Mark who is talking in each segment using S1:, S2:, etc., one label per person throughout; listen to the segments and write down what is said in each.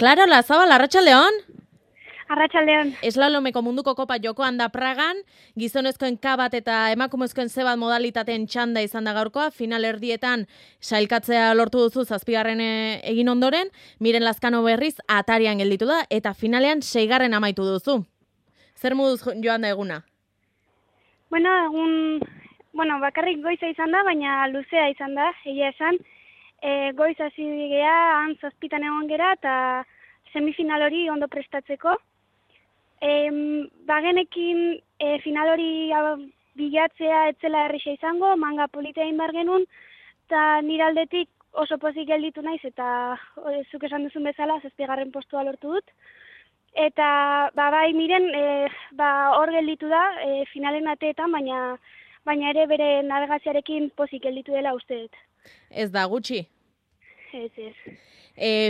S1: Clara Lazabal, arratsaldeon.
S2: Arratsaldeon.
S1: Eslalomeko munduko kopa jokoan da Pragan, gizonezkoen K bat eta emakumezkoen C bat modalitateen txanda izan da gaurkoa, final erdietan sailkatzea lortu duzu zazpigarren egin ondoren, Miren Lazkano berriz atarian gelditu da, eta finalean 6. amaitu duzu. Zer moduz joan da eguna?
S2: Bakarrik goiza izan da, baina luzea izan da, egia esan. Goiz hasi gea, han 7 egon gera, eta semifinal hori ondo prestatzeko. Bagenekin final hori bilatzea etzela errisa izango, manga politea egin behar genuen, eta nire aldetik oso pozik gelditu naiz, eta zuk esan duzun bezala, 7. postua lortu dut. Eta bai Miren hor gelditu da, finalen ateetan, baina ere bere navegaziarekin pozik gelditu dela uste dut.
S1: Ez da gutxi?
S2: Ez.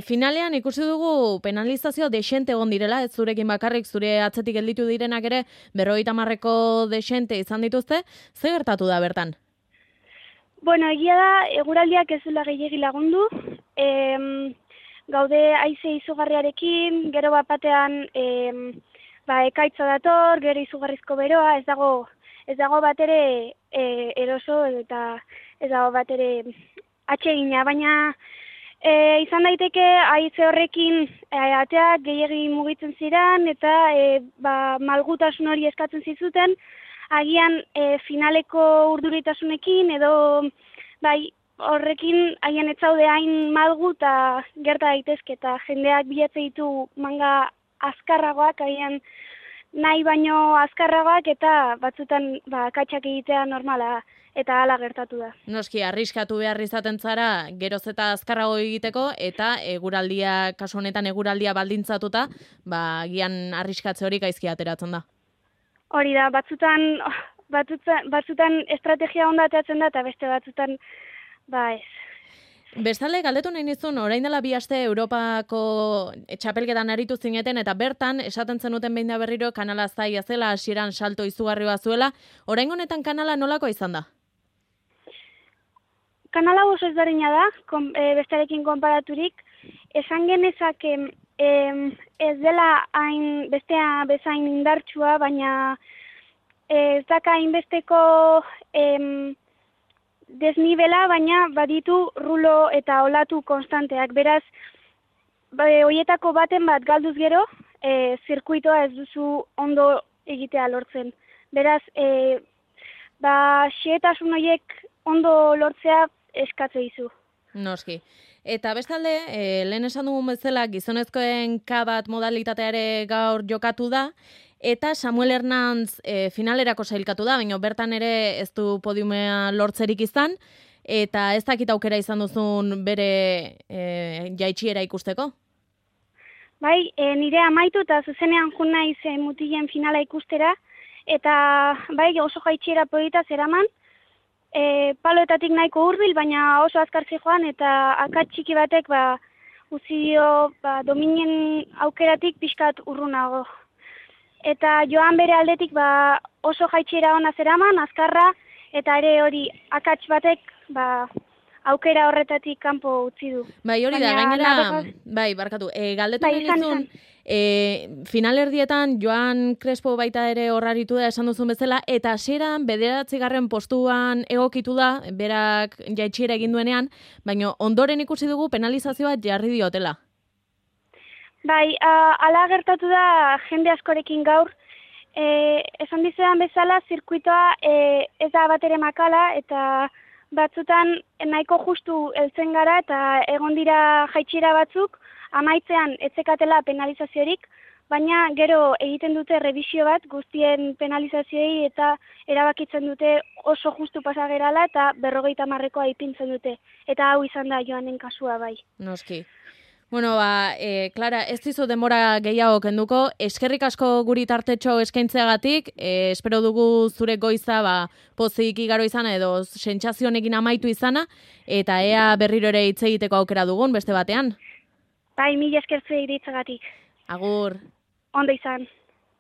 S1: Finalean ikusi dugu penalizazio desente egon direla, ez zurekin bakarrik, zure atzetik gelditu direnak ere 50ko desente izan dituzte, ze gertatu da bertan?
S2: Egia da, eguraldiak ez duela gehiegi lagundu, gaude haize izugarriarekin, gero batean ekaitza dator, gero izugarrizko beroa, ez dago bat ere eroso eta ez dago bat ere atsegina, baina izan daiteke haize horrekin ateak gehiegi mugitzen ziren eta malgutasun hori eskatzen zizuten, agian finaleko urduritasunekin edo horrekin haien ez zaude hain malgu eta gerta daitezke eta jendeak bilatze ditu manga azkarragoak, agian nahi baino azkarragoak eta batzutan katxak egitea normala eta hala gertatu da.
S1: Noski, arriskatu behar izaten zara geroz eta azkarrago egiteko eta eguraldia, kasu honetan eguraldia baldintzatuta, gian arriskatze hori gaizki ateratzen da.
S2: Hori da, batzutan estrategia onda ateratzen da eta beste batzutan ez.
S1: Bestalde, galdetu nahi nizun, orain dela 2 aste Europako txapelketan aritu zineten, eta bertan, esaten zenuten behin da berriro, kanala zaila zela, hasieran salto izugarri bat zuela. Orain honetan kanala nolako izan da?
S2: Kanala oso ezberdina da, bestearekin konparaturik. Esan genezake ez dela bestea bezain indartsua, baina ez daka hainbesteko desnibela, baina baditu rulo eta olatu konstanteak. Beraz, horietako baten bat galduz gero, zirkuitoa ez duzu ondo egitea lortzen. Beraz, xehetasun horiek ondo lortzea eskatze dizu.
S1: Noski. Eta bestalde, lehen esan dugun bezala, gizonezkoen K bat modalitatea ere gaur jokatu da, eta Samuel Hernantz finalerako sailkatu da, baina bertan ere ez du podiumea lortzerik izan, eta ez dakit aukera izan duzun bere jaitsiera ikusteko?
S2: Bai, nire amaitu eta zuzenean jun naiz mutilen finala ikustera, eta bai oso jaitsiera polita zeraman, paloetatik nahiko hurbil, baina oso azkar zijoan, eta akats txiki batek utzi dio dominen aukeratik pixkat urrunago. Eta joan bere aldetik oso jaitsiera ona zeraman, azkarra, eta ere hori akats batek aukera horretatik kanpo utzi du.
S1: Bai, hori da, gainera, barkatu, galdetu nahi nizun, final erdietan Joan Crespo baita ere horraritu da esan duzun bezala, eta hasieran 9. postuan egokitu da, berak jaitsiera egin duenean, baina ondoren ikusi dugu penalizazioa jarri diotela.
S2: Bai, ala gertatu da jende askorekin gaur. Esan dizudan bezala, zirkuitoa ez da bat ere makala, eta batzutan nahiko justu heltzen gara, eta egon dira jaitsiera batzuk, amaitzean etzekatela penalizaziorik, baina gero egiten dute revisio bat guztien penalizazioei eta erabakitzen dute oso justu pasagerala eta 50koa ipintzen dute. Eta hau izan da Joanen kasua bai.
S1: Noski. Clara, ez dizu denbora gehiago kenduko, eskerrik asko guri tartetxo eskaintzeagatik, espero dugu zure goiza pozik igaro izana edo sentsazio honekin amaitu izana, eta ea berriro ere hitz egiteko aukera dugun beste batean.
S2: Bai, mila esker zuei ditzagatik.
S1: Agur.
S2: Ondo izan.